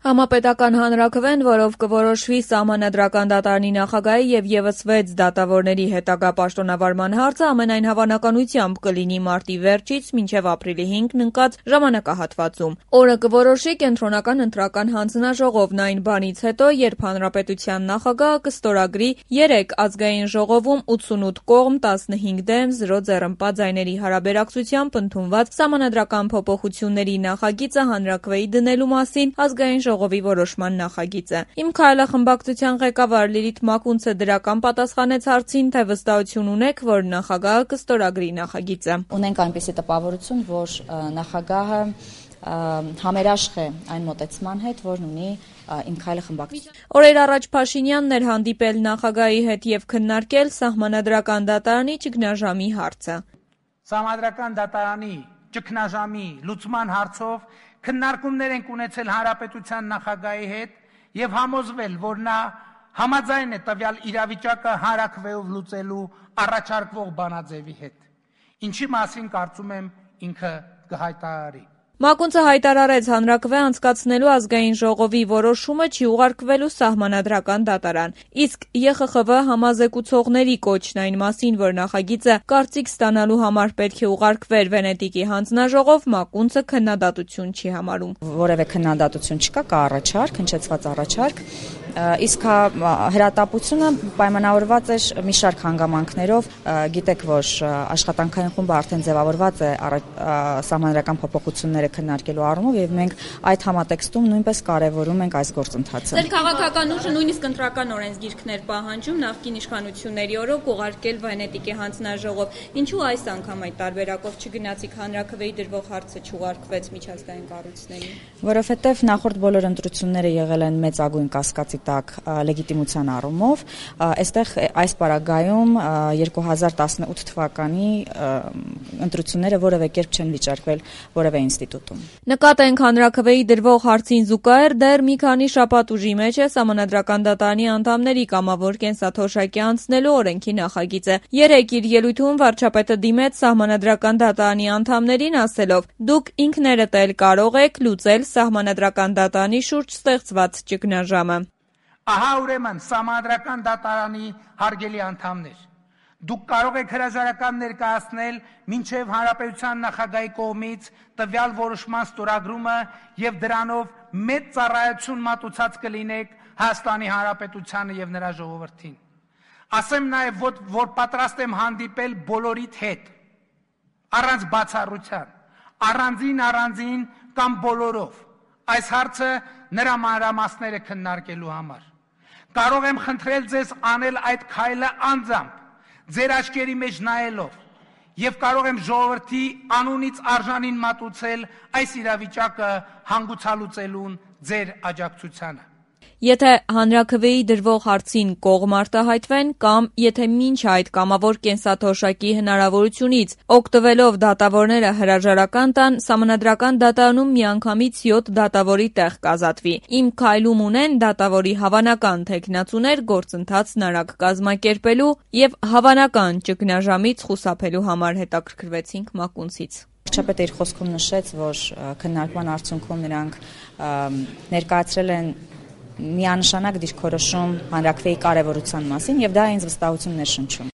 Համապետական հանրաքվեն, որով կորոշվի Սահմանադրական դատարանի նախագահի եւ եւս 6 դատավորների հետագա պաշտոնավարման հարցը, ամենայն հավանականությամբ կլինի մարտի վերջից մինչեւ ապրիլի 5-ն ընկած ժամանակահատվածում։ Օրը կորոշի Կենտրոնական ընտրական հանձնաժողովն այն բանից հետո, երբ Հանրապետության նախագահը կստորագրի 3 ազգային ժողովում 88 կողմ 15 դեմ 0 ձեռնպա ձայների հարաբերակցությամբ ընդունված Սահմանադրական փոփոխությունների նախագիծը հանրաքվեի դնելու մասին ազգային ժողովի որոշման նախագիծը։ Իմ քայլը խմբակցության ղեկավար Լիլիթ Մակունցը դրական պատասխանեց հարցին, թե վստահություն ունեք, որ նախագահը կստորագրի նախագիծը։ Ունենք այնպիսի տպավորություն, որ նախագահը համերաշխ է այն մոտեցման հետ, որն ունի Իմ քայլը խմբակցություն։ Օրեր առաջ Փաշինյանն էր հանդիպել նախագահի հետ եւ քննարկել Սահմանադրական դատարանի ճգնաժամի հարցը։ Սահմանադրական դատարանի ճգնաժամի լուծման հարցով քննարկումներ ենք ունեցել Հանրապետության նախագահի հետ եւ համոզվել, որ նա համաձայն է տվյալ իրավիճակը հանրաքվեով լուծելու առաջարկվող բանաձևի հետ, ինչի մասին կարծում եմ ինքը կհայտարարի։ Մակունցը հայտարարեց հանրաքվե անցկացնելու ազգային ժողովի որոշումը չի ուղարկվելու Սահմանադրական դատարան, իսկ ԵԽԽՎ համազեկուցողների կոչն այն մասին, որ նախագիծը կարծիք ստանալու համար պետք է ուղարկվեր Վենետիկի հանձնաժողով, Մակունցը քննադատություն չի համարում։ Որևէ քննադատություն չկա, կա առաջարկ, հնչեցված առաջարկ, իսկ հրատապությունը պայմանավորված էր մի շարք հանգամանքներով, գիտեք, որ աշխատանքային խումբը արդեն ձևավորված է Սահմանադրական փոփոխությունները քննարկելու առումով եւ մենք այդ համատեքստում նույնպես կարեւորում ենք այս գործընթացը։ Ձեր քաղաքական ուժը նույնիսկ ընտրական օրենսգիրքներ պահանջում նախկին իշխանությունների օրոք ուղարկել Վենետիկի հանձնաժողով։ Ինչու այս անգամ այդ տարբերակով չգնացիք հանրաքվեի դրվող հարցը չուղարկվեց միջազգային կառույցներին։ Որովհետեւ նախորդ բոլոր ընտրությունները եղել են մեծագույն կասկածի տակ լեգիտիմության առումով, այստեղ այս պարագայում 2018 թվականի ընտրությունները որևէ կերպ չեն վիճարկվել որևէ ինստիտուտում։ Նկատենք հանրաքվեի դրվող հարցին զուգահեռ դեռ մի քանի շաբաթ ուժի մեջ է Սահմանադրական դատարանի անդամների կամավոր կենսաթոշակի անցնելու օրենքի նախագիծը։ Երեկ իր ելույթում վարչապետը դիմեց Սահմանադրական դատարանի անդամներին ասելով. «Դուք ինքներդ էլ կարող եք լուծել Սահմանադրական դատարանի շուրջ ստեղծված ճգնաժամը»։ Ահա ուրեմն Սահմանադրական դատարանի հարգելի անդամներ, դուք կարող եք հրաժարական ներկայացնել մինչև Հանրապետության նախագահի կողմից տվյալ որոշման ստորագրումը եւ դրանով մեծ ծառայություն մատուցած կլինեք Հայաստանի Հանրապետությանը եւ նրա ժողովրդին։ Ասեմ նաեւ, որ պատրաստ եմ հանդիպել բոլորիդ հետ, առանց բացառության, առանձին կամ բոլորով, այս հարցը նրա մանրամասները քննարկելու համար։ Կարող եմ խնդրել ձեզ անել այդ քայլը անձամբ, ձեր աչքերի մեջ նայելով, եւ կարող եմ ժողովրդի անունից արժանին մատուցել այս իրավիճակը հանգուցալուծելուն ձեր աջակցությանը։ Եթե հանրաքվեի դրվող հարցին կողմ արտահայտվեն կամ եթե մինչ այդ կամավոր կենսաթոշակի հնարավորությունից օգտվելով դատավորները հրաժարական տան, Սահմանադրական դատարանում միանգամից 7 դատավորի տեղ կազատվի։ Իմ քայլում ունեն դատավորի հավանական թեկնածուներ գործընթացն արագ կազմակերպելու եւ հավանական ճգնաժամից խուսափելու համար, հետաքրքրվեցինք Մակունցից։ Վարչապետը իր խոսքում նշեց, որ քննարկման արդյունքում նրանք ներկայացրել են միանշանակ դիրքորոշում հանրաքվեի կարևորության մասին եւ դա ինձ վստահություն ներշնչում։